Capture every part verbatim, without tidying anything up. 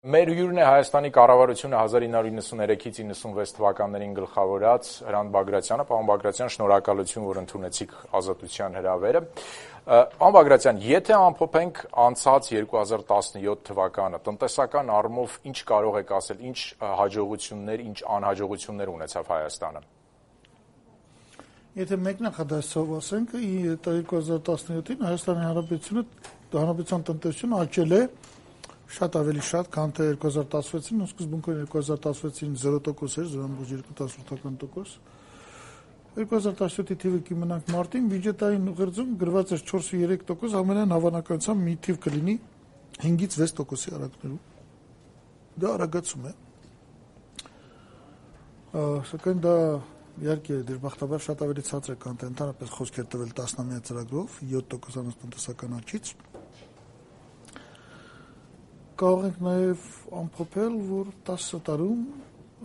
Մեր հյուրն է Հայաստանի կառավարությունը հազար ինը հարյուր նվաթից իննսունվեց թվականներին գլխավորած Հրանտ Բագրատյանը։ Պարոն Բագրատյան, շնորհակալություն, որ ընդունեցիք Ազատության հրավերը։ Պարոն Բագրատյան, եթե ամփոփենք անցած երկու հազար տասնյոթ թվականը, տնտեսական առումով ինչ կարող եք ասել, ինչ հաջողություններ, ինչ անհաջողություններ ունեցավ Հայաստանը։ Եթե մեկնախադասով ասենք, երկու հազար տասնյոթին Հայաստանի Հանրապետությունը հանրապետության տնտեսությունը աճել է շատ ավելի շատ, քան թե երկու հազար տասնվեցին, սկզբունքորեն երկու հազար տասնվեցին զրո տոկոս էր, զրո բուժ երկու տասնութ տոկոս։ երկու հազար տասնյոթի թիվը կիմանանք մարտին, բյուջետային ուղերձում գրված էր չորսից երեք տոկոս, ամենայն հավանականությամբ մի թիվ կլինի հինգից վեց տոկոսի արագներում։ Դա արագացում է։ Սակայն դա իհարկե դժբախտաբար շատ ավելի ցածր է, քան թե ընդհանրապես խոսք էր տվել տասնամյա ծրագրով յոթ տոկոսանոց տնտեսական աճից։ Կարող ենք նաև ամփոփել, որ տասը տարում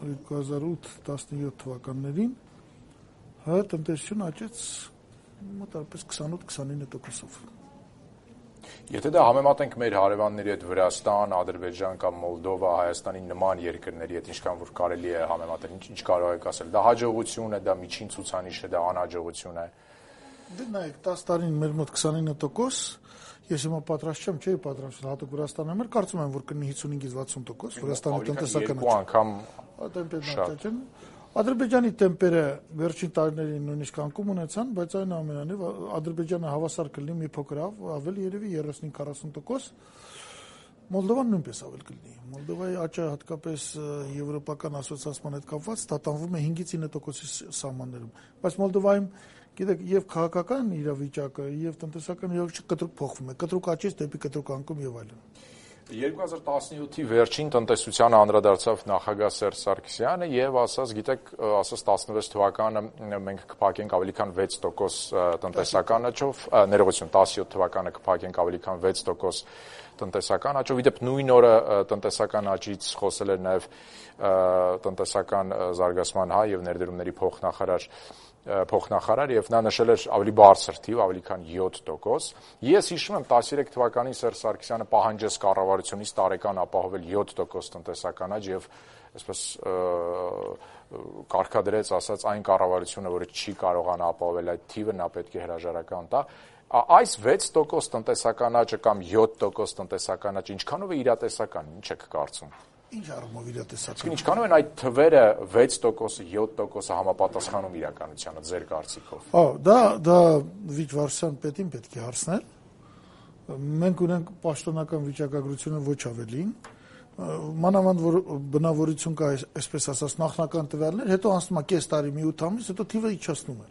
երկու հազար ութ տասնյոթ թվականներին հայ տնտեսությունը աճեց մոտավորապես քսանութ քսանինը տոկոսով։ Եթե դա համեմատենք մեր հարևանների հետ Վրաստան, Ադրբեջան կամ Մոլդովա, Հայաստանի նման երկրների հետ, ինչքան որ կարելի է համեմատել, ինչ կարող եք ասել, դա հաջողություն է, դա միջին ցուցանիշ է, դա անհաջողություն է։ Դե նայեք, տասը տարին մեր մոտ քսանինը տոկոս, ես հիմա պատրաստ չեմ, չէի պատրաստ հատուկ Վրաստանի համար, կարծում եմ, որ կլինի հիսունհինգից վաթսուն տոկոս Վրաստանի տնտեսական անգամ Ադրբեջանի տեմպերը վերջին տարիներին նույնիսկ անկում ունեցան, բայց այնուամենայնիվ Ադրբեջանը հավասար կլինի մի փոքր ավելի երևի երեսուն քառասուն տոկոս, Մոլդովան նույնպես ավել կլինի։ Մոլդովայի աճը հատկապես եվրոպական ասոցիացման հետ կապված տատանվում է հինգից ինը տոկոսի սահմաններում, բայց Մոլդովայում գիտեք եւ քաղաքական իրավիճակը եւ տնտեսական իրավիճակը կտրուկ փոխվում է, կտրուկ աճից դեպի կտրուկ անկում եւ այլն։ երկու հազար տասնյոթի վերջին տնտեսությանը անդրադարձավ նախագահ Սերժ Սարգսյանը եւ ասաց, գիտեք, ասաց տասնվեց թվականը մենք կփակենք ավելի քան վեց տոկոս տնտեսական աճով, ներողություն, տասնյոթ թվականը կփակենք ավելի քան վեց տոկոս տնտեսական աճով, իդեպ նույն օրը տնտեսական աճից խոսել էր նաեւ տնտեսական զարգացման հայ եւ ներդրումների փոխնախարար փոխնախարար եւ նա նշել էր ավելի բարձր թիվ, ավելի քան յոթ տոկոս։ Ես հիշում եմ տասներեք թվականին Սերժ Սարգսյանը պահանջեց կառավարությունից տարեկան ապահովել յոթ տոկոս տնտեսական աճ եւ այսպես կարգադրեց, ասած այն կառավարությունը, որը չի կարողանա ապահովել այդ թիվը, նա պետք է հրաժարական տա։ Այս վեց տոկոս տնտեսական աճը կամ յոթ տոկոս տնտեսական աճը ինչքանով է իրատեսական, ինչ եք կարծում։ Ինչ առումով իրատեսական։ Ինչքանով են այդ թվերը վեց տոկոսը, յոթ տոկոսը համապատասխանում իրականությանը ձեր կարծիքով։ Հա, դա դա Վիճվարսյան պետին պետք է հարցնել։ Մենք ունենք պաշտոնական վիճակագրությունը ոչ ավելին։ Մանավանդ որ բնավորություն կա, այսպես ասած, նախնական տվյալներ, հետո անցնում է կես տարի, մի ութ ամիս, հետո թիվը իջացնում է։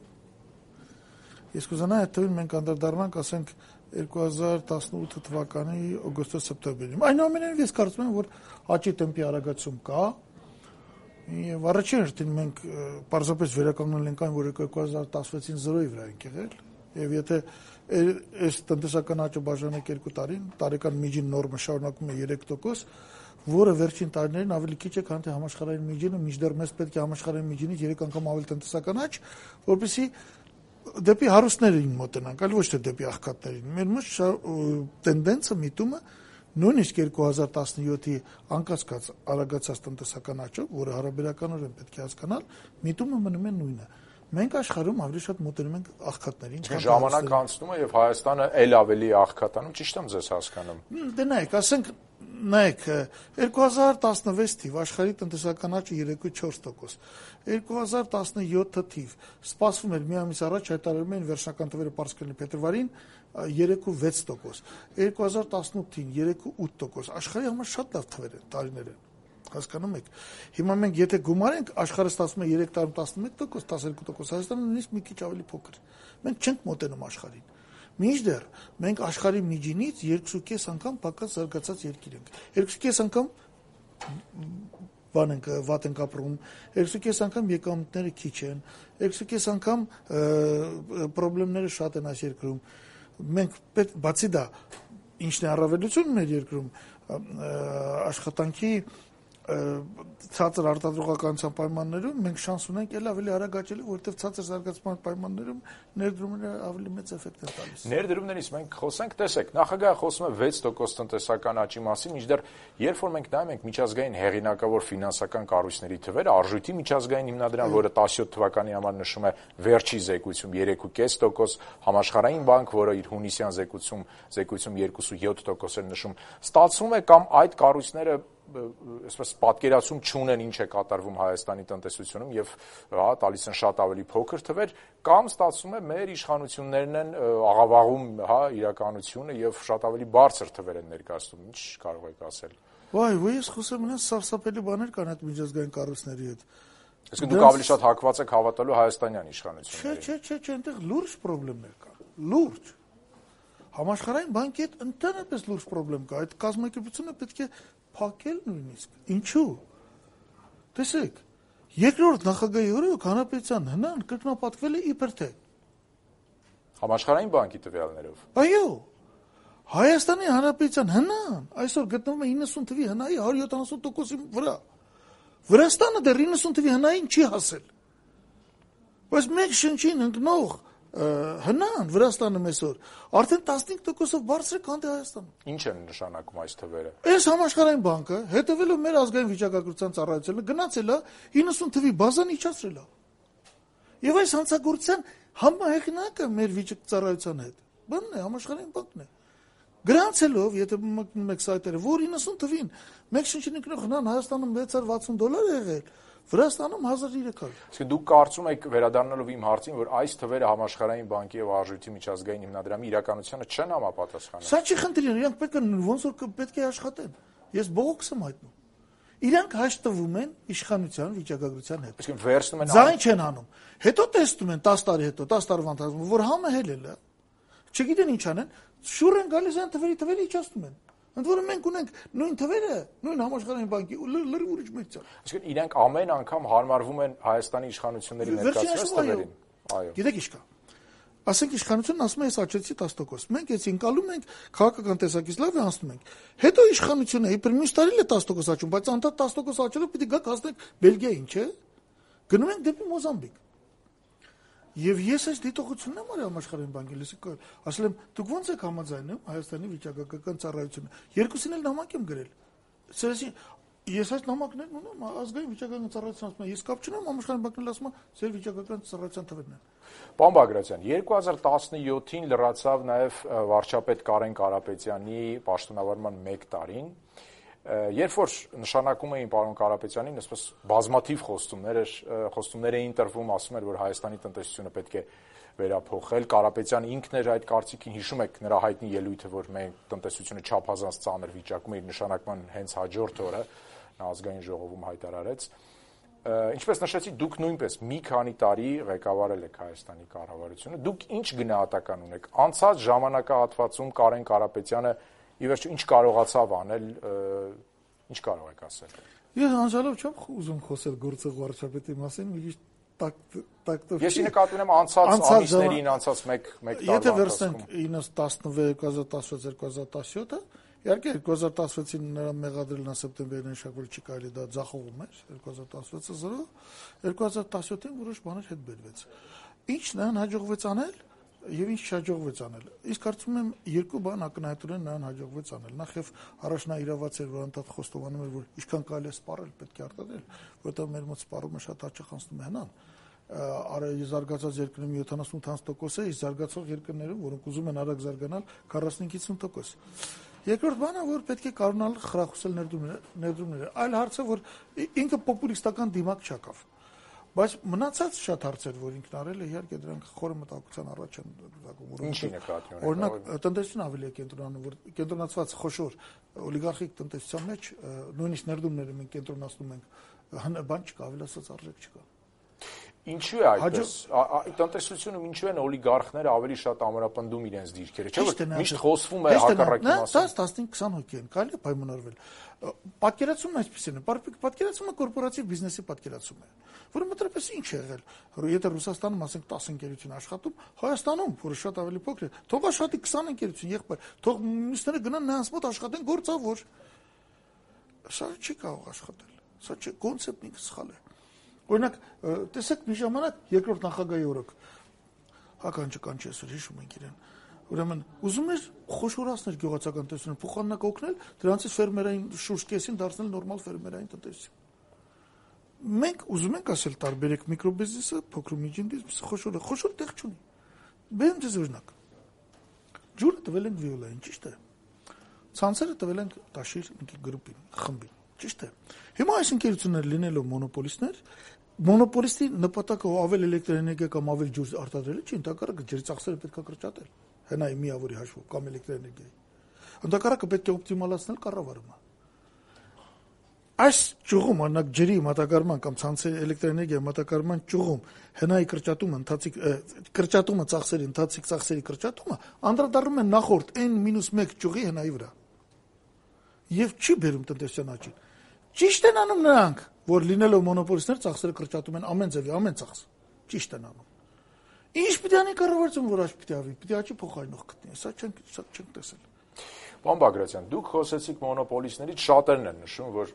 Ես կուզենայի այդ թվին մենք անդրադառնանք, ասենք երկու հազար տասնութ թվականի օգոստոս-սեպտեմբերին։ Այնուամենայնիվ ես կարծում եմ, որ աճի տեմպի արագացում կա։ Եվ առաջին հերթին մենք պարզապես վերականգնել ենք այն, որ երկու հազար տասնվեցին զրոյի վրա ենք եղել։ Եվ եթե այս տնտեսական աճը բաժանենք երկու տարին, տարեկան միջին նորմը շարունակում է երեք տոկոս, որը վերջին տարիներին ավելի քիչ է, քան թե համաշխարհային միջինը, մինչդեռ մեզ պետք է համաշխարհային միջինից երեք անգամ ավելի տնտեսական աճ, որպեսզի դեպի հարուստներին մոտենանք, այլ ոչ թե դեպի աղքատներին։ Մեր մոտ տենդենսը միտումը նույնիսկ երկու հազար տասնյոթի անկասկած արագացած տնտեսական աճով, որը հարաբերականորեն պետք է հասկանալ, միտումը մնում է նույնը։ Մենք աշխարհում ավելի շատ մոտենում ենք աղքատներին, քան ժամանակ անցնում է եւ Հայաստանը ել ավելի աղքատանում, ճիշտ եմ ձեզ հասկանում։ Դե նայեք, ասենք նայեք, երկու հազար տասնվեց թիվ աշխարհի տնտեսական աճը երեքից չորս տոկոս, երկու հազար տասնյոթ թիվ սպասվում էր մի ամիս առաջ հայտարարում էին վերջնական թվերը պարզ կլինի փետրվարին երեքից վեց տոկոս, երկու հազար տասնութին երեքից ութ տոկոս, աշխարհի համար շատ լավ թվեր են, տարիներ են, հասկանում եք։ Հիմա մենք եթե գումարենք, աշխարհը ստացվում է երեք տարում տասնմեկ տոկոս, տասներկու տոկոս, Հայաստանը նույնիսկ մի քիչ ավելի փոքր։ Մենք չենք մոտենում աշխարհին։ Մինչդեռ մենք աշխարհի միջինից երկուսուկես անգամ պակաս զարգացած երկիր ենք։ Երկուսուկես անգամ բան ենք վատ ենք ապրում, երկուսուկես անգամ եկամուտները քիչ են, երկուսուկես անգամ խնդիրները շատ են այս երկրում։ Մենք բացի դա ինչն է առավելությունը մեր երկրում աշխատանքի ցածր արտադրողականության պայմաններում մենք շանս ունենք ել ավելի արագ աճելու, որովհետև ցածր զարգացման պայմաններում ներդրումները ավելի մեծ էֆեկտ են տալիս։ Ներդրումներից մենք խոսենք, տեսեք, նախագահը խոսում է վեց տոկոս տնտեսական աճի մասին, մինչդեռ երբ որ մենք նայում ենք միջազգային հեղինակավոր ֆինանսական կառույցների թվերը, արժույթի միջազգային հիմնադրամ, որը տասնյոթ թվականի համար նշում է վերջի զեկույցում երեք կόμμα պենս տոկոս, համաշխարհային բանկ, որը իր հունիսյան զեկույցում զեկույցում երկու կόμma յոթ տոկոս էր նշում, ստացվում է կամ այդ կառույցները այսպես պատկերացում չունեն ինչ է կատարվում Հայաստանի տնտեսությունում եւ հա տալիս են շատ ավելի փոքր թվեր կամ ստացվում է մեր իշխանություններն են աղավաղում հա իրականությունը եւ շատ ավելի բարձր թվեր են ներկայացնում ինչ կարող եք ասել Վայ ու ես խոսեմ նրանց սարսափելի բաներ կան այդ միջազգային կառույցների հետ Իսկ դուք ավելի շատ հակված եք հավատալու հայաստանյան իշխանություններին Չէ չէ չէ այնտեղ լուրջ խնդիրներ կան լուրջ Համաշխարհային բանկի հետ ընդհանրապես լուրջ խնդրեմ կա այդ կազմակերպությունը պետք է փակել նույնիսկ ինչու տեսեք երկրորդ նախագահի օրոք հանրապետության հնան կրկնապատկվել է իբր թե Համաշխարհային բանկի տվյալներով Այո Հայաստանի հանրապետության հնան այսօր գտնվում է իննսուն թվի հնայի հարյուր յոթանասուն տոկոսի վրա Վրաստանը դեռ իննսուն թվի հնային չի հասել բայց մեկ շնչին ընկնող հնան Վրաստանը այսօր արդեն տասնհինգ տոկոսով բարձր է քան Հայաստանում։ Ինչ են նշանակում այս թվերը։ Այս համաշխարհային բանկը հետևելով մեր ազգային վիճակագրության ծառայությունը գնացել է իննսուն թվի բազան իջացրել է։ Եվ այս հանցագործության համահեղինակը մեր վիճակծառայության հետ բանն է համաշխարհային բանկն է։ Գրանցելով, եթե մեկնում եք սայթերը, որ իննսուն թվին մեկ շնչին ընկնող հնան Հայաստանում վեց հարյուր վաթսուն դոլար է եղել, Վրաստանում հազար երեք հարյուր։ Իսկ դուք կարծում եք վերադառնալով իմ հարցին, որ այս թվերը համաշխարհային բանկի եւ արժույթի միջազգային հիմնադրամի իրականությանը չեն համապատասխանում։ Սա չի խնդիրը, իրանք պետք է ոնց որ պետք է աշխատեն։ Ես բողոքս եմ հայտնում։ Իրանք հաշտվում են իշխանության վիճակագրության հետ։ Իսկ վերցնում են Ձայն չեն անում։ Հետո տեսնում են տասը տարի հետո, տասը տարվա ընթացքում, որ համը հելել է։ Չգիտեն ինչ անեն, շուռ են գալիս այն թվերի թվերը իջացնում են։ Ընդ որում մենք ունենք նույն թվերը, նույն համաշխարհային բանկի լրիվ ուրիշ մեծան։ Իսկ իրենք ամեն անգամ հարմարվում են Հայաստանի իշխանությունների ներկայացրած թվերին։ Այո։ Գիտեք ինչ կա։ Ասենք իշխանությունն ասում է ես աճեցի տասը տոկոս։ Մենք էս ընկալում ենք քաղաքական տեսակից լավ է անցնում ենք։ Հետո իշխանությունը իբր մյուս տարի էլ է տասը տոկոս աճում, բայց անդադ տասը տոկոս աճելով պիտի գաք հասնենք Բելգիային, չէ՞։ Գնում ենք դեպի Մոզամբիկ։ Եվ ես այս դիտողությունն եմ արել համաշխարհային բանկի լսիկ ասել եմ դուք ո՞նց եք համաձայնում Հայաստանի վիճակագրական ծառայությունը երկուսին էլ նամակ եմ գրել Սերասին ես այս նամակներն ունեմ ազգային վիճակագրական ծառայության ասում եմ ես կապ չունեմ համաշխարհային բանկն ասում է ձեր վիճակագրական ծառայության թվերն են Պարոն Բագրատյան երկու հազար տասնյոթին լրացավ նաև վարչապետ Կարեն Կարապետյանի պաշտոնավարման մեկ տարին Երբ որ նշանակում էին պարոն Կարապետյանին, այսպես բազմաթիվ խոստումներ էր, խոստումներ էին տրվում, ասում էր, որ Հայաստանի տնտեսությունը պետք է վերափոխել, Կարապետյանը ինքն էր այդ կարծիքին, հիշում եք նրա հայտնի ելույթը, որ մենք տնտեսությունը չափազանց ծանր վիճակում է իր նշանակման հենց հաջորդ օրը, նա ազգային ժողովում հայտարարեց։ Ինչպես նշեցի, դուք նույնպես մի քանի տարի ղեկավարել եք Հայաստանի կառավարությունը, դուք ինչ գնահատական ունեք։ Անցած ժամանակահատվածում Կարեն Կարապետյանը Ի վերջո ինչ կարողացավ անել, ինչ կարող եք ասել։ Ես անցյալով չեմ ուզում խոսել գործող վարչապետի մասին, մի քիչ տակտով։ Ես նկատի ունեմ անցած ամիսներին, անցած մեկ մեկ տարվա Եթե վերցնենք տասնվեց երկու հազար տասնյոթը, իհարկե երկու հազար տասնվեցին նրա մեղադրելն սեպտեմբերին շակ որ չի կարելի դա ձախողում էր, երկու հազար տասնվեցը զրո, երկու հազար տասնյոթին որոշ բաներ հետ բերվեց։ Ինչ նրան հաջողվեց անել Եվ ինչ չհաջողվեց անել։ Իսկ կարծում եմ երկու բան ակնհայտորեն նրան հաջողվեց անել։ Նախ եւ առաջ նա իրավաց էր, որ անդադ խոստովանում էր, որ ինչքան կարելի է սպառել, պետք է արտադրել, որովհետեւ մեր մոտ սպառումը շատ հաճախ անցնում է հնան։ Արի զարգացած երկրներում յոթանասուն տոկոս է, իսկ զարգացող երկրներում, որոնք ուզում են արագ զարգանալ, քառասունից հիսուն տոկոս։ Երկրորդ բանը, որ պետք է կարողանալ խրախուսել ներդրումները։ Այլ հարցը, որ ինքը պոպուլիստական դիմակ չակավ։ Բայց մնացած շատ հարցեր, որ ինքն արել է, իհարկե դրանք խորը մտահոգության առաջ են դակում։ Ինչի նկատի ունեք։ Օրինակ, տնտեսությունը ավելի է կենտրոնանում, որ կենտրոնացված խոշոր օլիգարխիկ տնտեսության մեջ նույնիսկ ներդրումները մենք կենտրոնացնում ենք, բան չկա, ավելացած արժեք չկա։ Ինչու է այդպես։ Տնտեսությունում ինչու են օլիգարխները ավելի շատ ամրապնդում իրենց դիրքերը։ Չէ՞ որ միշտ խոսվում է հակառակի մասին։ դες տասնհինգ քսան հոգի են, կարելի է պայմանավորվել։ Պատկերացումն այսպեսին է, պատկերացումը կորպորատիվ բիզնեսի պատկերացում է, որը մտրապես ինչ է եղել։ Եթե Ռուսաստանում ասենք տասը ընկերություն աշխատում, Հայաստանում, որը շատ ավելի փոքր է, թող աշխատի քսան ընկերություն, եղբայր, թող մյուսները գնան նրանց մոտ աշխատեն գործավոր։ Սա չի կարող աշխատել։ Սա չէ, կոնցեպտն ինքը սխալ է։ Օրինակ, տեսեք մի ժամանակ երկրորդ նախագահի օրոք Հական Չկանչեսը հիշում ենք իրեն։ Ուրեմն ուզում էր խոշորացնել գյուղացական տնտեսությունը, փոխանակ օգնել, դրանցից ֆերմերային շուրջ կեսին դարձնել նորմալ ֆերմերային տնտեսություն։ Մենք ուզում ենք ասել տարբերեք միկրոբիզնեսը, փոքր ու միջին բիզնեսը, խոշորը, խոշոր տեղ չունի։ Բերեմ ձեզ օրինակ։ Ջուրը տվել ենք Վիոլային, ճիշտ է։ Ցանցերը տվել ենք Տաշիր գրուպին, խմբին, ճիշտ է։ Հիմա այս ընկերությունները լինելով մոնոպոլիստներ, մոնոպոլիստի նպատակը ավել էլեկտրոէներգիա կամ ավել ջուր արտադրելը չի, ընդհակառակը ջրի ծախսերը պետք է կրճատել։ Հենայի միավորի հաշվով կամ էլեկտրոէներգիայի։ Ընդհակառակը պետք է օպտիմալացնել կառավարումը։ Այս ճյուղում, օրինակ ջրի մատակարարման կամ ցանցերի էլեկտրոէներգիայի մատակարարման ճյուղում հենայի կրճատումը, ընթացիկ կրճատումը ծախսերի, ընթացիկ ծախսերի կրճատումը անդրադառնում է նախորդ N-1 ճյուղի հենայի վրա։ Եվ չի բերում տնտեսության աճին։ Ճիշտ են անում նրանք, որ լինելով մոնոպոլիստներ ծախսերը կրճատում են ամեն ձևի, ամեն ծախս։ Ճիշտ են անում։ Ինչ պիտի անի կառավարությունը, որ աճ պիտի ավի, պիտի աճի փոխարինող գտնի։ Սա չենք չենք տեսել։ Պարոն Բագրատյան, դուք խոսեցիք մոնոպոլիստներից, շատերն են նշում, որ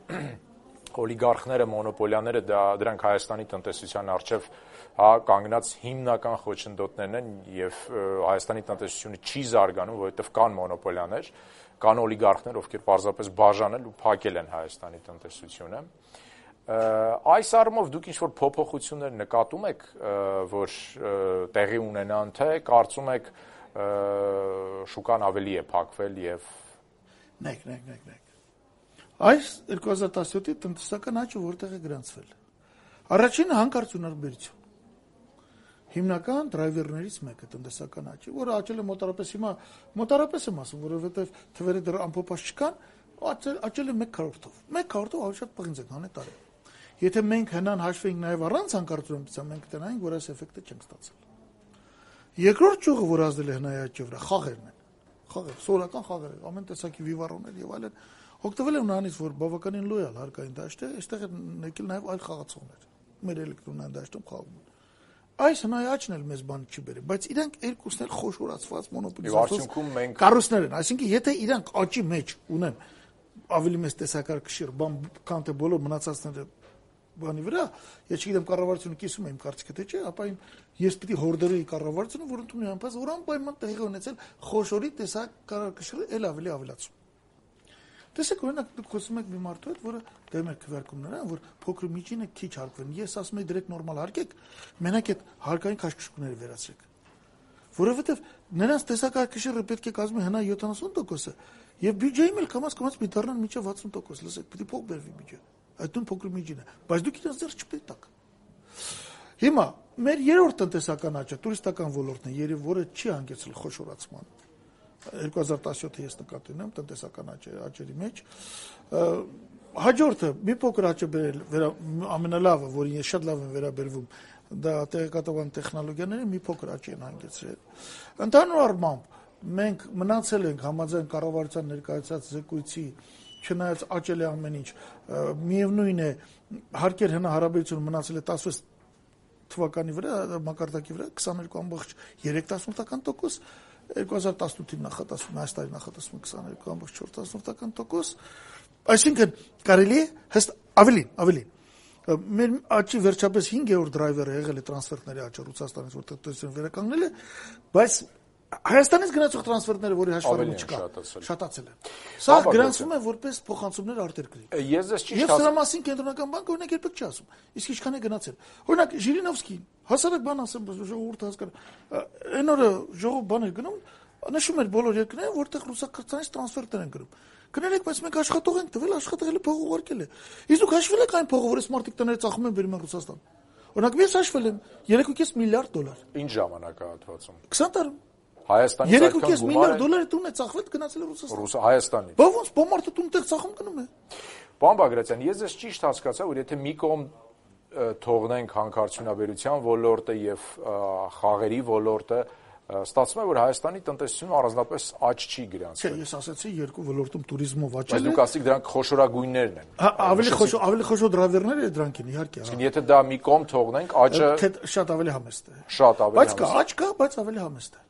օլիգարխները, մոնոպոլիաները դա դրանք Հայաստանի տնտեսության առջև հա կանգնած հիմնական խոչընդոտներն են եւ Հայաստանի տնտեսությունը չի զարգանում, որովհետեւ կան մոնոպոլիաներ, կան օլիգարխներ, ովքեր պարզապես բաժանել ու փակել են Հայաստանի տնտեսությունը։ Այս առումով դուք ինչ-որ փոփոխություններ նկատում եք, որ տեղի ունենան, թե կարծում եք շուկան ավելի է փակվել եւ նեք նեք նեք նեք այս երկու հազար տասնյոթի տնտեսական աճը որտեղ է գրանցվել առաջինը հանկարծ ունարբերություն հիմնական դրայվերներից մեկը տնտեսական աճի որը աճել է մոտարապես հիմա մոտարապես եմ ասում որովհետեւ թվերը դեռ ամփոփած չկան աճել աճել է մեկ քառորդով մեկ քառորդով ավելի շատ պղինձ են հանել տարի եթե մենք հնան հաշվենք նաեւ առանց հանկարծ ունարբերության մենք կտենայինք որ այս էֆեկտը չենք ստացել Երկրորդ ճյուղը, որ ազդել է հնայի աճի վրա, խաղերն են։ Խաղեր, սովորական խաղեր, ամեն տեսակի վիվարումներ եւ այլն։ Օգտվել են նրանից, որ բավականին լոյալ հարկային դաշտ է, այստեղ են եկել նաեւ այլ խաղացողներ։ Մեր էլեկտրոնային դաշտում խաղում են։ Այս հնայի աճն էլ մեզ բան չի բերել, բայց իրանք երկուսն էլ խոշորացված մոնոպոլիզացված կառույցներ են, այսինքն եթե իրանք աճի մեջ ունեն ավելի մեծ տեսակարգշիռ, բան, քան թե բոլոր մնացածները բանի վրա, ես չգիտեմ կառավարությունը կիսում է իմ կարծիքը թե չէ, ապա ես պիտի հորդորեի կառավարությունը, որ ընդունի անպայման, որ անպայման տեղի ունեցել խոշորի տեսակարգշիռը ել ավելի ավելացում։ Տեսեք, օրինակ դուք խոսում եք մի մարդու հետ, որը դեմ է քվեարկումները, որ փոքր միջինը քիչ հարկվեն։ Ես ասում եմ դրեք նորմալ հարկեք, մենակ այդ հարկային քաշքշուկները վերացրեք։ Որովհետև նրանց տեսակարգշիռը պետք է կազմի հնա յոթանասուն տոկոսը, եւ բյուջեի էլ կամաց-կամաց մի դառնան միջև վաթսուն տոկոս, լսեք, պիտի փող բերվի բյուջե։ Այդ ու փոքր միջինը, բայց դուք իրենց ձեռք չպետք տաք։ Հիմա մեր երրորդ տնտեսական աճը տուրիստական ոլորտն է, երբ որը չի հանգեցրել խոշորացման։ երկու հազար տասնյոթը ես նկատի ունեմ տնտեսական աճերի մեջ։ Հաջորդը մի փոքր աճ է բերել ամենալավը, որին ես շատ լավ եմ վերաբերվում, դա տեղեկատվական տեխնոլոգիաները մի փոքր աճ են հանգեցրել։ Ընդհանուր առմամբ մենք մնացել ենք համաձայն կառավարության ներկայացած զեկույցի չնայած աճել է ամեն ինչ, միևնույն է հարկեր հնա հարաբերությունը մնացել է տասնվեց թվականի վրա, մակարդակի վրա քսաներկու ամբողջ երեք տասնորդական տոկոս, երկու հազար տասնութի նախատեսվում, այս տարի նախատեսվում քսաներկու ամբողջ չորս տասնորդական տոկոս, այսինքն կարելի է հեստ ավելին, ավելին։ Մեր աճի վերջապես հինգերորդ դրայվերը եղել է տրանսֆերտների աճը Ռուսաստանից, որ տնտեսությունը վերականգնել է, բայց Հայաստանից գնացող տրանսֆերտները, որի հաշվառումը չկա, շատացել են։ Սա գրանցվում է որպես փոխանցումներ արտերկրի։ Ես ես ճիշտ Եվ սրա մասին կենտրոնական բանկը օրինակ երբեք չի ասում։ Իսկ ինչքան է գնացել։ Օրինակ Ժիրինովսկին, հասարակ բան ասեմ, ժողովուրդը հասկանա։ Այն օրը ժողով բաներ գնում, նշում էր բոլոր երկրները, որտեղ ռուսական տրանսֆերտներ են գնում։ Գներեք, բայց մենք աշխատող ենք տվել, աշխատել է փող ուղարկել է։ Իսկ դուք հաշվել եք այն փողը, որ այս մարդիկ տները ծախում են բերում են Ռուսաստան։ Օրինակ ես հաշվել եմ երեք կես միլիարդ դոլար։ Ինչ ժամանակահատվածում։ քսան տարի։ Հայաստանից երեք կես միլիարդ դոլարի տուն է ծախվել գնացել է Ռուսաստան։ Ռուս Հայաստանից։ Բա ոնց բոմարտը տուն տեղ ծախում գնում է։ Պարոն Բագրատյան, ես ես ճիշտ հասկացա, որ եթե մի կողմ թողնենք հանքարդյունաբերության ոլորտը եւ խաղերի ոլորտը, ստացվում է, որ Հայաստանի տնտեսությունը առանձնապես աճ չի գրանցվել։ Չէ, ես ասացի երկու ոլորտում туриզմով աճել է։ Բայց դուք ասիք դրանք խոշորագույններն են։ Ավելի խոշոր, ավելի խոշոր դրայվերներ է դրանք են, իհարկե։ Իսկ եթե դա մի կողմ թողնենք, աճը շատ ավելի համեստ է։ Շատ ավելի համեստ։ Բայց կա, աճ կա, բայց ավելի համեստ է։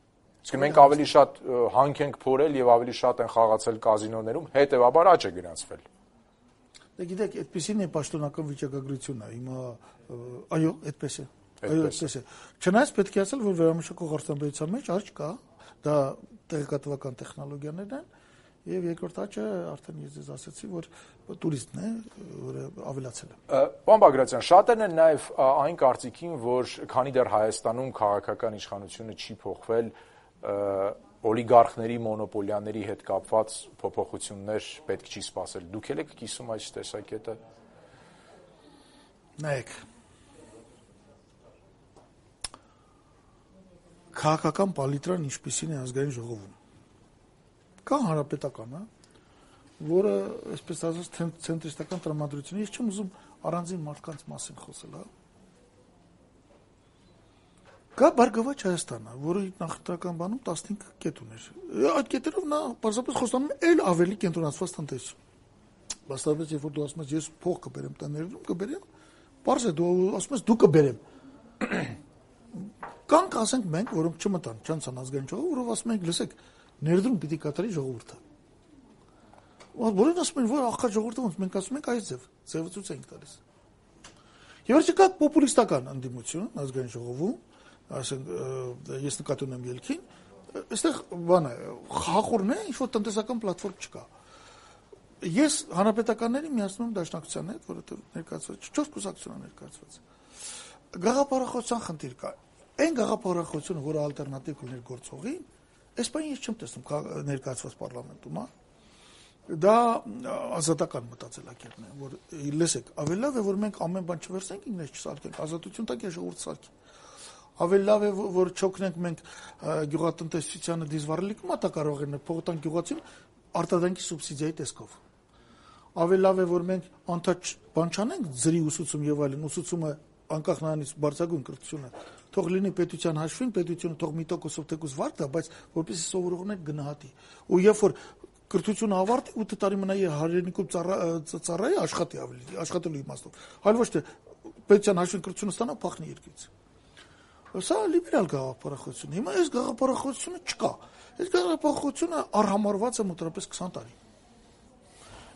Իսկ մենք ավելի շատ հանք ենք փորել եւ ավելի շատ են խաղացել կազինոներում, հետեւաբար աճ է գրանցվել։ Դե գիտեք, այդպեսին է պաշտոնական վիճակագրությունը, հիմա այո, այդպես է։ Այո, այդպես է։ Չնայած պետք է ասել, որ վերամշակող արտադրության մեջ աճ կա, դա տեղեկատվական տեխնոլոգիաներն են, եւ երկրորդ աճը արդեն ես ձեզ ասացի, որ տուրիզմն է, որը ավելացել է։ Պարոն Բագրատյան, շատերն են նաեւ այն կարծիքին, որ քանի դեռ Հայաստանում քաղաքական իշխանությունը չի փոխվել, օլիգարխների, մոնոպոլիաների հետ կապված փոփոխություններ պետք չի սպասել։ Դուք եք կիսում այս տեսակետը։ Նայեք, քաղաքական պալիտրան ինչպիսին է ազգային ժողովում։ Կա հանրապետականը, որը, այսպես ասած, ցենտրիստական տրամադրություն է, ես չեմ ուզում առանձին մարդկանց մասին խոսել, հա։ Կա Բարգավաճ Հայաստանը, որը նախընտրական բանում տասնհինգ կետ ուներ։ Այդ կետերով նա պարզապես խոստանում է ել ավելի կենտրոնացված տնտեսություն։ Բաստավեց, երբ որ դու ասում ես ես փող կբերեմ, տա ներդրում կբերեմ, պարզ է դու ասում ես դու կբերեմ։ Կանք ասենք մենք, որոնք չմտան, չանցան ազգային ժողով, որով ասում ենք, լսեք, ներդրում պիտի կատարի ժողովուրդը։ Որոնք ասում են, որ աղքատ ժողովուրդը ոնց մենք ասում ենք այս ձև, ձևը ցույց ենք տալիս։ Եվ վերջի կա պոպուլիստական ընդդիմություն ազգային ժողովում, ասենք ես նկատի ունեմ ելքին, այստեղ բան է, խախորն է, ինչ-որ տնտեսական պլատֆորմ չկա։ Ես հանրապետականների միացնում եմ դաշնակցության հետ, որովհետև ներկայացված չորս կուսակցություն ներկայացված։ Գաղափարախոսության խնդիր կա։ Այն գաղափարախոսությունը, որը ալտերնատիվ կլիներ գործողին, այս բանը ես չեմ տեսնում ներկայացված պարլամենտում, հա։ Դա ազատական մտածելակերպն է, որ լսեք, ավելի լավ է, որ մենք ամեն բան չվերցնենք, ինքներս չսարքենք, ազատություն տակ է ժողովուրդ սարքի։ Ավելի լավ է, որ չօգնենք մենք գյուղատնտեսությանը դիզվառելիք մատա կարող են փողտան գյուղացին արտադրանքի սուբսիդիայի տեսքով։ Ավելի լավ է, որ մենք անթաչ բան չանենք ձրի ուսուցում եւ այլն, ուսուցումը անկախ նրանից բարձրագույն կրթությունը թող լինի պետության հաշվին, պետությունը թող մի տոկոսով թեկուզ վարկ տա, բայց որպեսզի սովորողները գնահատի։ Ու երբ որ կրթությունը ավարտի ութ տարի մնա հայրենիքում ծառայի աշխատի ավելի, աշխատելու իմաստով։ Այլ ոչ թե պետության հաշվին կրթությունը ստանա փախնի երկրից։ Սա լիբերալ գաղափարախոսություն։ Հիմա այս գաղափարախոսությունը չկա։ Այս գաղափարախոսությունը առհամարված է մոտավորապես քսան տարի։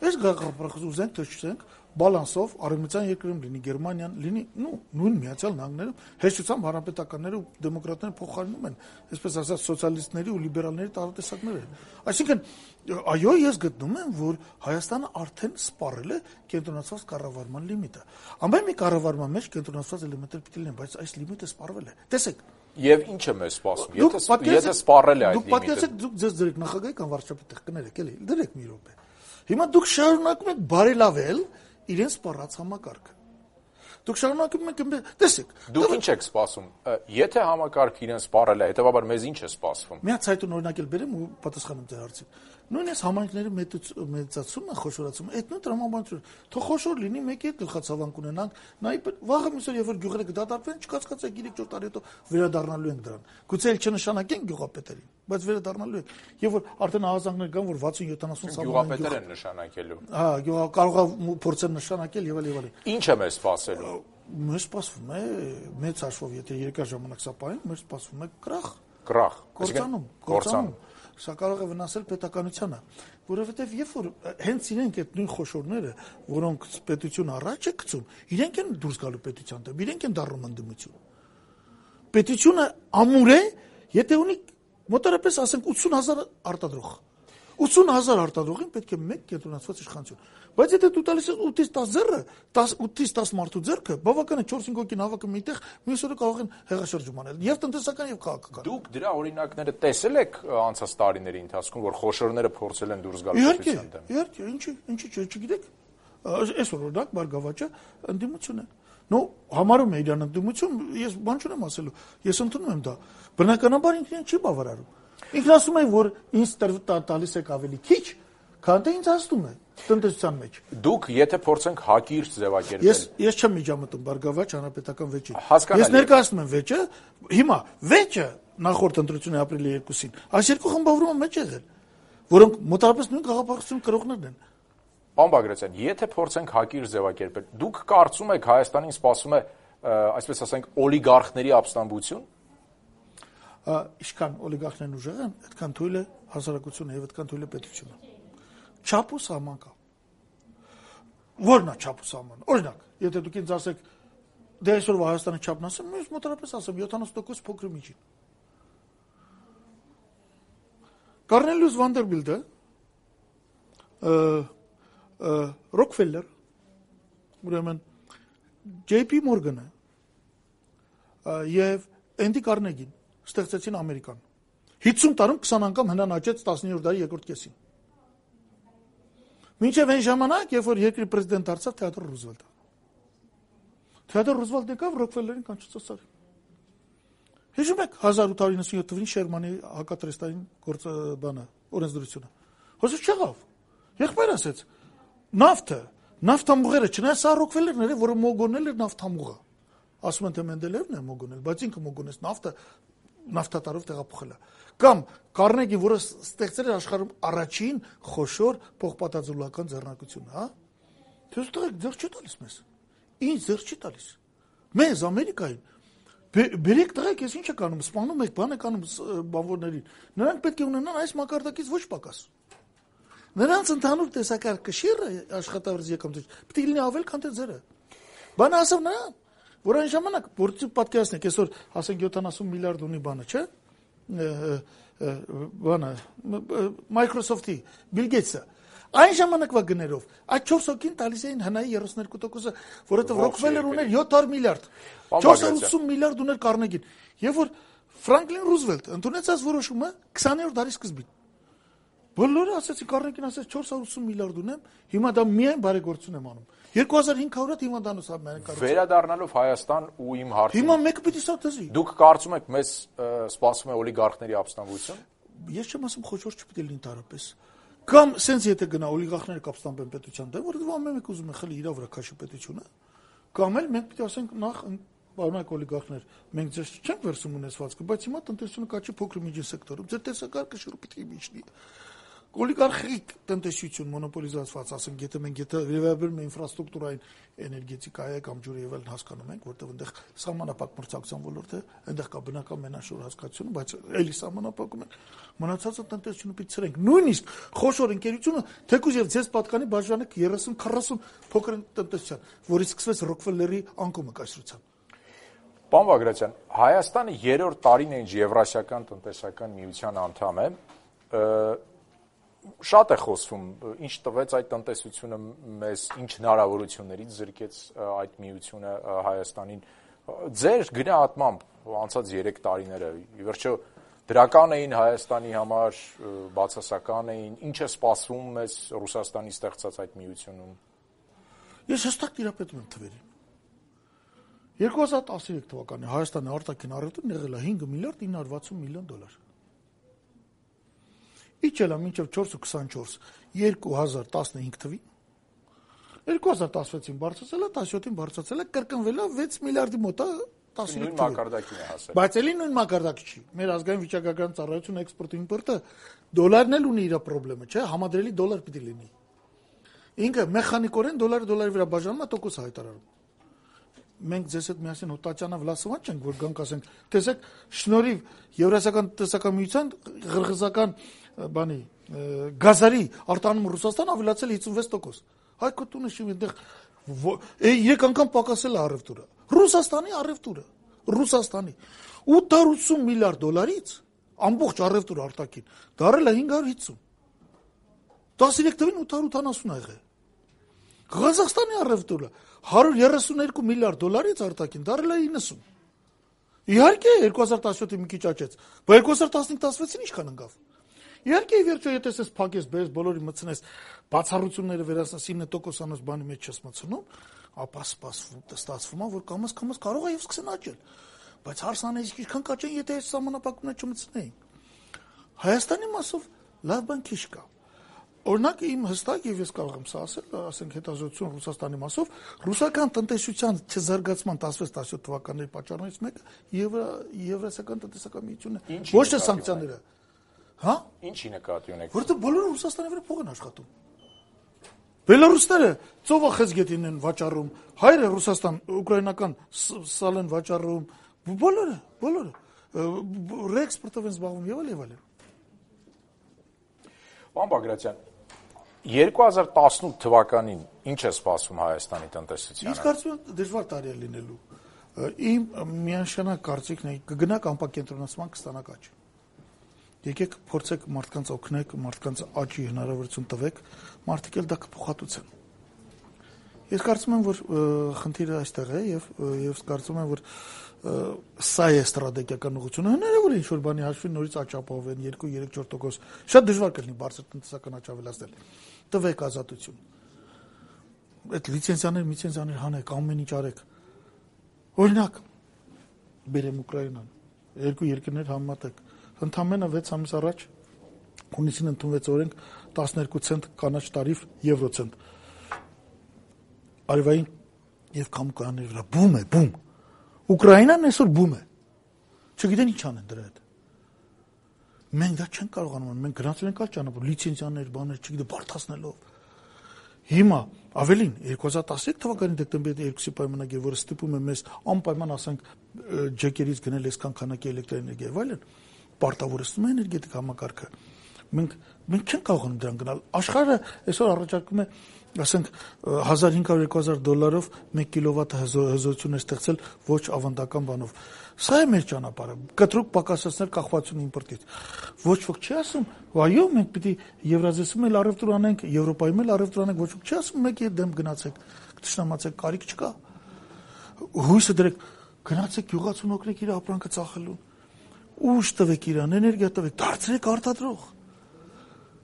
Այս գաղափարախոսությունը ուզենք թե չուզենք, բալանսով արևմտյան երկրում լինի Գերմանիան, լինի, նու, նույն Միացյալ Նահանգներում, հեշտությամբ հանրապետականները ու դեմոկրատները փոխարինում են, այսպես ասած, սոցիալիստների ու լիբերալների տարատեսակները։ Այսինքն, այո, ես գտնում եմ, որ Հայաստանը արդեն սպառել է կենտրոնացված կառավարման լիմիտը։ Ամեն մի կառավարման մեջ կենտրոնացված էլեմենտներ պիտի լինեն, բայց այս լիմիտը սպառվել է։ Տեսեք, եւ ինչ է մեզ սպասում։ Եթե եթե սպառել է այդ լիմիտը։ Դուք պատկերացեք, դուք ձեզ դրեք նախագահի կամ վարչապետի տեղ կներեք, էլի, դրեք մի րոպե։ Հիմա դուք շարունակում եք բարելավել իրեն սպառած համակարգը։ Դուք շարունակում եք, տեսեք։ Դուք ինչ եք սպասում։ Եթե համակարգը իրեն սպառել է, հետեւաբար մեզ ինչ է սպասվում։ Մի հատ ցայտուն օրինակել բերեմ ու պատասխանեմ ձեր հարցին։ Նույնիսկ համայնքների մեծացումը, խոշորացումը, այդ նույն տրամաբանությունը, թող խոշոր լինի, մեկի հետ գլխացավանք ունենանք, նայ վաղը միսօր երբ որ գյուղերը կդատարկվեն, չկացկացեք երեք չորս տարի հետո վերադառնալու ենք դրան։ Գուցե էլ չնշանակենք գյուղապետերին, բայց վերադառնալու ենք։ Եվ որ արդեն ահազանգներ կան, որ վաթսուն յոթանասուն սավան գյուղապետեր են նշանակելու։ Հա, գյուղա կարող է փորձեն նշանակել եւ այլ եւ այլ։ Ինչ է մեզ սպասելու։ Մեզ սպասվում է մեծ հաշվով, եթե երկար ժամանակ սա պահենք, մեզ սպասվում է կրախ։ Կրախ։ Կործանում, կործանում։ Սա կարող է վնասել պետականությանը, որովհետև երբ որ հենց իրենք այդ նույն խոշորները, որոնք պետությունը առաջ է գցում, իրենք են դուրս գալու պետության դեմ, իրենք են դառնում ընդդիմություն։ Պետությունը ամուր է, եթե ունի մոտավորապես ասենք ութսուն հազար արտադրող։ ութսուն հազար արտադրողին պետք է մեկ կենտրոնացված իշխանություն։ Բայց եթե դու տալիս ես ութից տասը ձեռը, ութից տասը մարդու ձեռքը, բավական է չորս-հինգ հոգին հավաքը միտեղ, մյուս օրը կարող են հեղաշրջում անել, եւ տնտեսական եւ քաղաքական։ Դուք դրա օրինակները տեսել եք անցած տարիների ընթացքում, որ խոշորները փորձել են դուրս գալ պետության դեմ։ Իհարկե, ինչի, ինչի՞ չգիտեք։ Այսօր օրինակ Բարգավաճը ընդդիմություն է։ Նո, համարում է իրան ընդդիմություն, ես բան չունեմ ասելու։ Ես ընդունում եմ դա։ Բնականաբար ինքն չի բավարարում։ Ինքն ասում է, որ ինձ տալիս եք ավելի քիչ, քան թե ինձ ասում է տնտեսության մեջ։ Դուք եթե փորձենք հակիրճ ձևակերպել։ Ես ես չեմ միջամտում Բարգավաճ հանրապետական վեճին։ Ես ներկայացնում եմ վեճը, հիմա վեճը նախորդ ընտրությունների ապրիլի երկուսին, այս երկու խմբավորումը մեջ եղել, որոնք մոտավորապես նույն գաղափարություն կրողներն են։ Պարոն Բագրատյան, եթե փորձենք հակիրճ ձևակերպել, դուք կարծում եք Հայաստանին սպասում է, այսպես ասենք, օլիգարխների ապստամբություն։ Ինչքան օլիգարխներն ուժեղ են, այդքան թույլ է հասարակությունը եւ այդքան թույլ է պետությունը։ Չափ ու սահման կա։ Որն է չափը սահմանը։ Օրինակ, եթե դուք ինձ ասեք, դե այսօրվա Հայաստանի չափն ասեմ, ես մոտավորապես ասեմ յոթանասուն տոկոս փոքր միջին։ Կառնելիուս Վանդերբիլտը, Ռոքֆելլեր, ուրեմն Ջեյ Պի Մորգանը եւ Էնդի Կարնեգին ստեղծեցին Ամերիկան։ հիսուն տարում քսան անգամ հնան աճեց տասնյոթ դարի երկրորդ կեսին։ Մինչև այն ժամանակ, երբ որ երկրի պրեզիդենտ դարձավ Թեոդոր Ռուզվելտը։ Թեոդոր Ռուզվելտը եկավ Ռոքֆելլերին կանչեց արի։ Հիշում եք հազար ութ հարյուր իննսունյոթ թվականին Շերմանի հակատրեստային գործ բանը, օրենսդրությունը։ Հոսը չեղավ։ Եղբայր ասեց. նավթը, նավթամուղերը, չնայած սա Ռոքֆելլերն էր, որը մոգոնել էր նավթամուղը։ Ասում են թե Մենդելևն է մոգոնել, բայց ինքը մոգոնեց նավթը նավթատարով տեղափոխել է։ Կամ Կարնեգին, որը ստեղծել էր աշխարհում առաջին խոշոր փոխպատաձուլական ձեռնարկությունը, հա։ Դες տղեկ ձեռ չի տալիս մեզ։ Ինչ ձեռ չի տալիս։ Մեզ Ամերիկային բերեք տղեկ, ես ինչ եք անում, սպանում եք, բան եք անում բանվորներին։ Նրանք պետք է ունենան այս մակարդակից ոչ պակաս։ Նրանց ընդհանուր տեսակարգը աշխատավարձ եկամուտ պետք է լինի ավել, քան թե ձերը։ Բանը ասավ նրան, որ այն ժամանակ որտի պատկերացնեք, այսօր ասենք յոթանասուն միլիարդ ունի բանը, չէ՞։ Բանը Microsoft-ի, Bill Gates-ը։ Այն ժամանակվա գներով այդ չորս հոգին տալիս էին հնայի երեսուն երկու տոկոսը, որովհետև Ռոքֆելլեր ուներ յոթ հարյուր միլիարդ, չորս հարյուր ութսուն միլիարդ ուներ Կարնեգին։ Եվ որ Ֆրանկլին Ռուզվելտը ընդունեց այս որոշումը քսաներորդ դարի սկզբին։ Բոլորը ասեցին, Կարնեգին ասեց չորս հարյուր ութսուն միլիարդ ունեմ, հիմա դա միայն բարեգործություն եմ անում։ երկու հազար հինգ հարյուր հիվանդանոց ամեն կառուցել։ Վերադառնալով Հայաստան ու իմ հարցը։ Հիմա մեկը պիտի սա դզի։ Դուք կարծում եք մեզ սպասում է օլիգարխների ապստամբություն։ Ես չեմ ասում խոշոր չպիտի լինի տարապես։ Կամ սենց եթե գնա օլիգարխները կապստանբեն պետության դեմ, որովհետև ամեն մեկ ուզում է խլի իր վրա քաշի պետությունը, կամ էլ մենք պիտի ասենք նախ բարոյական օլիգարխներ, մենք ձեզ չենք վերցում ունեցվածքը, բայց հիմա տնտեսությունը կաչի փոքր միջին սեկտորում, ձեր տեսակարգը շուտ պիտի միջնի։ Օլիգարխիկ տնտեսություն մոնոպոլիզացված, ասենք, եթե մենք եթե վերաբերում ենք ինֆրաստրուկտուրային էներգետիկայի կամ ջուրի եւ այլն հասկանում ենք, որտեղ այնտեղ սահմանապակ մրցակցության ոլորտ է, այնտեղ կա բնական մենաշոր հասկացություն, բայց էլի սահմանապակում են մնացածը տնտեսությունը պիտի ցրենք։ Նույնիսկ խոշոր ընկերությունը թեկուզ եւ ձեզ պատկանի բաժանեք երեսուն քառասուն փոքր տնտեսության, որից սկսվեց Ռոքֆելլերի անկումը կայսրության։ Պարոն Բագրատյան, Հայաստանը երրորդ տարին է ինչ Եվրասիական տնտեսական միության անդամ է։ Շատ է խոսվում, ինչ տվեց այդ տնտեսությունը մեզ, ինչ հնարավորություններից զրկեց այդ միությունը Հայաստանին։ Ձեր գնահատմամբ անցած երեք տարիները, ի վերջո դրական էին Հայաստանի համար, բացասական էին, ինչ է սպասվում մեզ Ռուսաստանի ստեղծած այդ միությունում։ Ես հստակ տիրապետում եմ թվերին։ երկու հազար տասնյոթ թվականին Հայաստանի արտաքին առևտուրն եղել է հինգ միլիարդ ինը հարյուր վաթսուն միլիոն դոլար։ Իջել է մինչև չորս ու քսանչորս երկու հազար տասնհինգ թվին, երկու հազար տասնվեցին բարձրացել է, տասնյոթին բարձրացել է, կրկնվել է վեց միլիարդի մոտ է տասնհինգ թվին։ Մակարդակին է հասել։ Բայց էլի նույն մակարդակի չի։ Մեր ազգային վիճակագրական ծառայությունը էքսպորտի իմպորտը դոլարն էլ ունի իր խնդրումը, չէ՞, համադրելի դոլար պիտի լինի։ Ինքը մեխանիկորեն դոլարը դոլարի վրա բաժանում է, տոկոս հայտարարում։ Մենք ձեզ հետ միասին հոտաճանա վլասովան չենք, որ գանք ասենք, տեսեք, շնորհիվ Եվրասիական տնտեսական միության ղրղզական բանի գազարի արտանում Ռուսաստան ավելացել է հիսունվեց տոկոս։ Հայկո տունը շիվ այնտեղ երեք անգամ պակասել է առևտուրը։ Ռուսաստանի առևտուրը, Ռուսաստանի ութ հարյուր ութսուն միլիարդ դոլարից ամբողջ առևտուրը արտաքին դարել է հինգ հարյուր հիսուն։ տասնյոթ թվին ութ հարյուր ութանասուն ա եղել։ Ղազախստանի առևտուրը հարյուր երեսուն երկու միլիարդ դոլարից արտաքին դարել է իննսուն։ Իհարկե երկու հազար տասնյոթին մի քիչ աճեց, բայց երկու հազար տասնհինգ տասնվեցին ինչքան ընկավ։ Իհարկե վերջո եթե ես փակես բերես բոլորի մցնես բացառությունները վերացնես ինը տոկոսանոց բանի մեջ չես մցնում, ապա սպասվում ստացվում է որ կամաց կամաց կարող է եւ սկսեն աճել։ Բայց հարցն է ինչքան կաճեն եթե այս սահմանապակումները չմցնեին։ Հայաստանի մասով լավ բան քիչ կա։ Օրինակ իմ հստակ եւ ես կարող եմ սա ասել, ասենք հետազոտություն Ռուսաստանի մասով, ռուսական տնտեսության չզարգացման տասնվեց տասնյոթ թվականների պատճառներից մեկը Եվրասիական տնտեսական միությունն է։ Ոչ թե սանկցիաները։ Հա? Ինչի նկատի ունեք։ Որտեղ բոլորը Ռուսաստանի վրա փող են աշխատում։ Բելարուսները ծովախեցգետին են վաճառում, հայերը Ռուսաստան ուկրաինական սալ են վաճառում, բոլորը, բոլորը ռեէքսպորտով են զբաղվում եւ այլ եւ այլ։ Պարոն Բագրատյան, երկու հազար տասնութ թվականին ինչ է սպասում Հայաստանի տնտեսությանը։ Իսկ կարծում եմ դժվար տարի է լինելու։ Իմ միանշանակ կարծիքն է կգնաք անպակենտրոնացման կստանաք աճ։ Եկեք փորձեք մարդկանց օգնեք, մարդկանց աճի հնարավորություն տվեք, մարդիկ էլ դա կփոխհատուցեն։ Ես կարծում եմ, որ խնդիրը այստեղ է եւ եւ կարծում եմ, որ սա է ստրատեգիական ուղղությունը։ Հնարավոր է ինչ-որ բանի հաշվին նորից աճ ապահովեն երկու երեք չորս տոկոս։ Շատ դժվար կլինի բարձր տնտեսական աճ ավելացնել։ Տվեք ազատություն։ Այդ լիցենզիաներ, միցենզիաներ հանեք, ամեն ինչ արեք։ Օրինակ, բերեմ Ուկրաինան, երկու երկրներ համատեք, ընդամենը վեց ամիս առաջ հունիսին ընդունվեց օրենք տասներկու ցենտ կանաչ տարիֆ եվրոցենտ։ Արևային եւ կամկաների վրա բում է, բում։ Ուկրաինան այսօր բում է։ Չգիտեն ինչ անեն դրա հետ։ Մենք դա չենք կարողանում, մենք գնացել ենք այլ ճանապարհ, լիցենզիաներ, բաներ, չգիտեմ, բարդացնելով։ Հիմա ավելին երկու հազար տասնյոթ թվականի դեկտեմբերի երկուսի պայմանագիրը, որը ստիպում է մեզ անպայման ասենք ջեկերից գնել այսքան քանակի էլեկտրաէներգիա եւ այլն, պարտավորեցնում է էներգետիկ համակարգը։ Մենք մենք չենք կարողանում դրան գնալ։ Աշխարհը այսօր առաջարկում է, ասենք հազար հինգ հարյուր երկու հազար դոլարով մեկ կիլովատ հզորություն է ստեղծել ոչ ավանդական բանով։ Սա է մեր ճանապարհը։ Կտրուկ պակասեցնել կախվածությունը իմպորտից։ Ոչ ոք չի ասում, այո, մենք պիտի Եվրազիայում էլ առևտուր անենք, Եվրոպայում էլ առևտուր անենք, ոչ ոք չի ասում մեկի հետ դեմ գնացեք, կտշնամացեք, կարիք չկա։ Հույսը դրեք, գնացեք յուղացուն օգնեք իր ապրանքը ծախելու։ Ուժ տվեք իրան, էներգիա տվեք, դարձրեք արտադրող։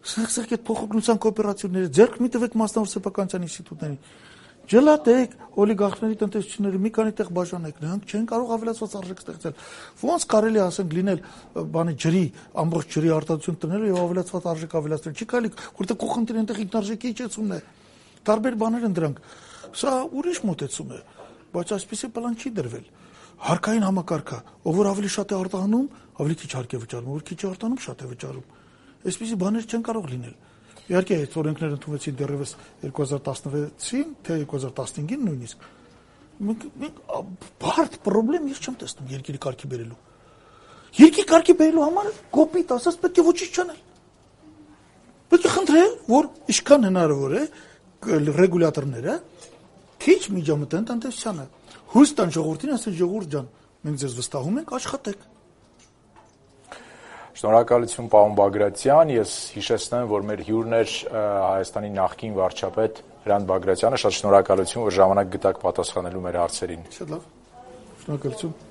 Սեղսեք այդ փոխօգնության կոոպերատիվները, ձեռք մի տվեք մասնավոր սեփականության ինստիտուտներին։ Ջլատեք օլիգարխների տնտեսությունները մի քանի տեղ բաժանեք, նրանք չեն կարող ավելացված արժեք ստեղծել։ Ոնց կարելի է ասենք լինել բանի ջրի, ամբողջ ջրի արտադրություն տնելու եւ ավելացված արժեք ավելացնել։ Չի կարելի, որտեղ կողքընտրի այնտեղ ինքնարժեքի իջեցումն է։ Տարբեր բաներ են դրանք։ Սա ուրիշ մոտեցում է, բայց այսպեսի պլան չի դրվել։ Հարկային համակարգը, ով որ ավելի շատ է արտահանում, ավելի քիչ հարկ է վճարում, ով քիչ է արտահանում, շատ է վճարում։ Այսպիսի բաներ չեն կարող լինել։ Իհարկե, այդ օրենքները ընդունվեցին դեռևս երկու հազար տասնվեցին, թե երկու հազար տասնհինգին նույնիսկ։ Մենք մենք բարդ խնդրեմ ես չեմ տեսնում երկրի կարգի բերելու։ Երկրի կարգի բերելու համար կոպիտ ասած պետք է ոչինչ չանել։ Պետք է խնդրել, որ ինչքան հնարավոր է ռեգուլյատորները քիչ միջամտեն տնտեսությանը։ Հույս տան ժողովրդին, ասեն ժողովուրդ ջան, մենք ձեզ վստահում ենք, աշխատեք։ Շնորհակալություն պարոն Բագրատյան, ես հիշեցնեմ, որ մեր հյուրն էր Հայաստանի նախկին վարչապետ Հրանտ Բագրատյանը, շատ շնորհակալություն, որ ժամանակ գտաք պատասխանելու մեր հարցերին։ Շատ լավ։ Շնորհակալություն։